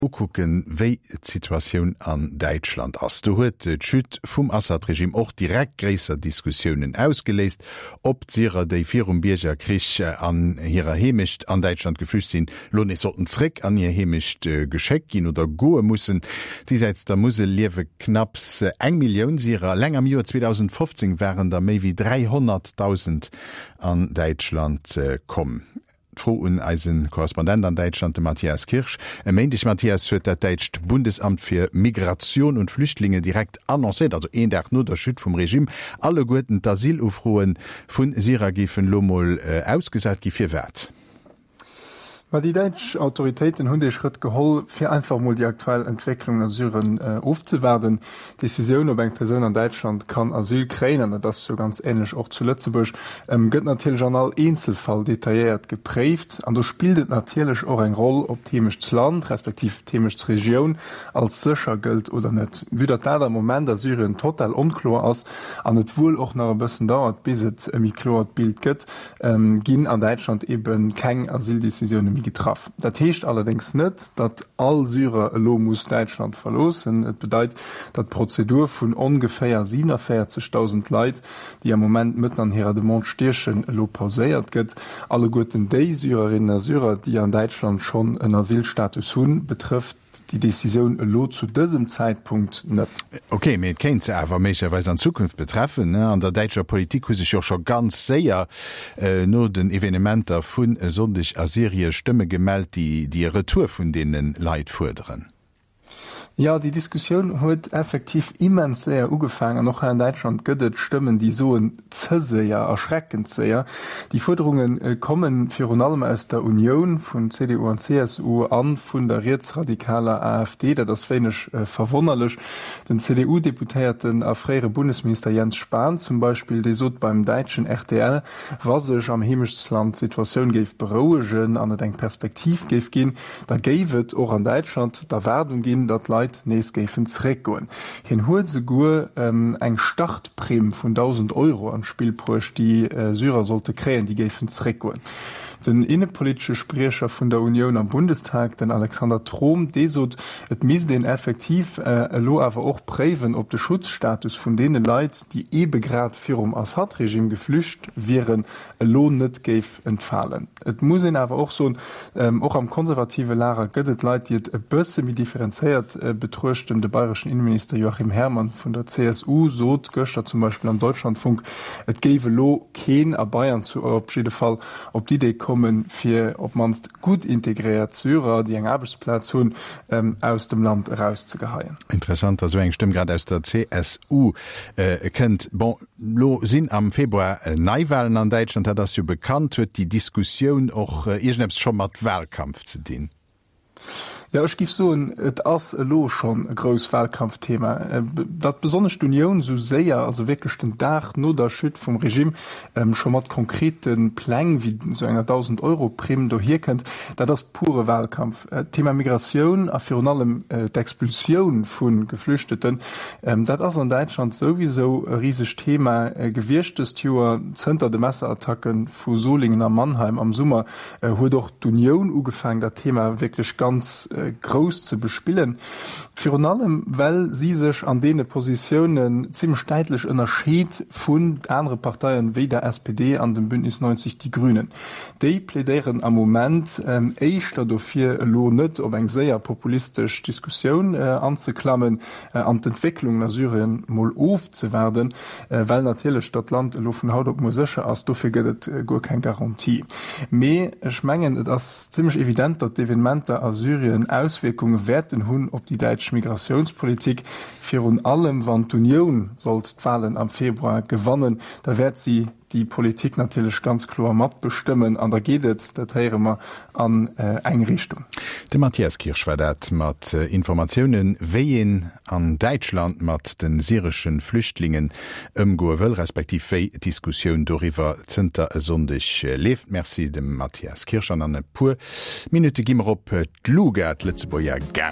Ukucken, wéi d'Situatioun an Däitschland ass. Do huet d'Chute vum Assad-Regime och direkt gréisser Diskussiounen ausgeléist, ob d'Syrer, déi virum Biergerkrich an hirer Heemecht an Däitschland geflücht sinn, lo nees sollten zréck an hir Heemecht geschéckt ginn oder goe mussen. Déisäits der Musel liewe knapps eng Millioun Syrer. Eleng am Joer 2015 waren der méi wéi 300.000 an Däitschland komm. D'Fro un eise Korrespondent an Däitschland, de Matthias Kirsch. E Méindeg, Matthias, huet dat däitscht Bundesamt fir Migration und Flüchtlinge direkt annoncéiert, also een Dag no der Chute vum Regime, alleguerten d'Asylufroe vu Syrer géifen elo mol ausgesat gi. Firwat? Ma déi däitsch Autoritéiten hunn dee Schrëtt geholl, fir einfach emol déi aktuell Entwécklungen a Syren ofzewaarden. D'Decisioun, ob eng Persoun an Däitschland kann Asyl kréien, an dat ass jo ganz änlech och zu Lëtzebuerg, gëtt natierlech an all Eenzelfall detailléiert gepréift. An do spillt et natierlech och eng Roll, ob d'Heemechtsland respektiv d'Heemechtsregioun als sécher gëllt oder net. Vue datt dat am Moment a Syrien total onkloer ass an et wuel och nach e bëssen dauert, bis et e méi kloert Bild gëtt, ginn an Däitschland ebe keng Asyldecisioune méi getraff. Dat heescht allerdéngs net, datt all Syrer elo muss Däitschland verloossen. Et bedeit, datt d'Prozedur vun ongeféier 47.000 Leit, déi am Moment mëtten an hirer Demande stiechen, elo pauséiert gëtt. Alleguerten déi Syrerinnen a Syrer, déi an Däitschland schonn en Asylstatus hunn, betrëfft déi Decisioun elo zu dësem Zäitpunkt net. Ok, mee et kéint se awer méiglecherweis an Zukunft betreffen. An der däitscher Politik hu sech jo scho ganz séier no den Evenementer vun e Sonndeg a Syrie Stëmme gemellt, déi déi e Retour vun deene Leit fuerderen. Jo, déi Diskussioun huet effektiv immens séier ugefaangen an och hei an Däitschland gëtt et Stëmmen, déi soen, ze séier, erschreckend séier. Déi Fuerderunge komme virun allem aus der Unioun vun CDU an CSU a vun der rietsradikaler AfD. Dat ass wéineg verwonnerlech. Den CDU-Deputéierten a fréiere Bundesminister Jens Spahn zum Beispill, dee sot beim däitschen rtl, wa sech am Heemechtsland d'Situatioun géif berouegen an et eng Perspektiv géif ginn, da géif et och an Däitschland d'Erwaardung ginn, datt d'Leit nees géifen zeréckgoen. Hien huet esouguer eng Startprimm vun 1.000 Euro an d'Spill bruecht, déi Syrer sollte kréien, déi géifen zeréckgoen. Den innepolitesche Spriecher vun der Unioun am Bundestag, den Alexander Throm, dee sot, et misst een effektiv elo awer och préiwen, ob de Schutzstatus vun deene Leit, déi eebe grad virum Assad-Regime geflücht wieren, elo net géif entfalen. Et muss een awer och soen, och am konservative Lager gëtt et Leit, déi et e bësse méi differenzéiert betruechten. De bayreschen Inneminister Joachim Herrmann vun der CSU sot gëschter zum Beispill am Deutschlandfunk, et géif elo keen, a Bayern zu op jidde Fall, op d'Idee kommen, fir op d'mannst gutt integréiert Syrer, déi eng Aarbechtsplaz hunn, aus dem Land erauszegeheien. Interessant, datt esou eng Stëmm grad aus der CSU kënnt. Bon, Lo sinn am Februar Neiwahlen an Däitschland, dat ass jo bekannt. Huet déi Diskussioun och iergendeppes scho mat Wahlkampf ze dinn? Jo, ech giff soen, et ass elo schonn e grouss Wahlkampfthema. Datt besonnesch d'Unioun esou séier, also wierklech den Dag no der Chute vum Regime, scho mat konkrete Pläng wéi esou enger 1.000-Euro-Primm dohierkënnt, dat ass pure Wahlkampf. D'Thema Migratioun a virun allem d'Expulsioun vu Geflüchteten, dat ass an Däitschland souwisou e risegt Thema gewiescht dëst Joer. Zënter de Messerattacke vu Solingen a Mannheim am Summer huet och d'Unioun ugefaangen, dat Thema wierklech ganz grouss ze bespillen. Virun allem well si sech an deene Positiounen zimmlech däitlech ënnerscheet vun anere Parteien, wéi der SPD an dem Bündnis 90 Die Grünen. Déi plädéieren am Moment éischter dofir, elo net op eng séier populistesch Diskussioun anzeklammen an d'Entwécklungen a Syrien mol ofzewaarden, well natierlech datt Land elo vun haut op muer sécher ass, dofir gëtt et guer keng Garantie. Mee ech mengen, et ass zimmlech evident, datt d'Evenementer a Syrien Auswierkunge wäerten hunn op déi däitsch Migratiounspolitik, virun allem wann d'Unioun sollt d'Walen am Februar gewannen, da wäert si déi Politik natierlech ganz kloer matbestëmmen an da geet et, dat héiere mer, an eng Richtung. De Matthias Kirsch war dat mat Informatiounen, wéi een an Däitschland mat de syresche Flüchtlingen ëmgoe wëll, respektiv wéi d'Diskussioun doriwwer zënter e Sonndeg leeft. Merci dem Matthias Kirsch an an e puer Minutte gi mer op d'LUGA, d'Lëtzebuerger Gare.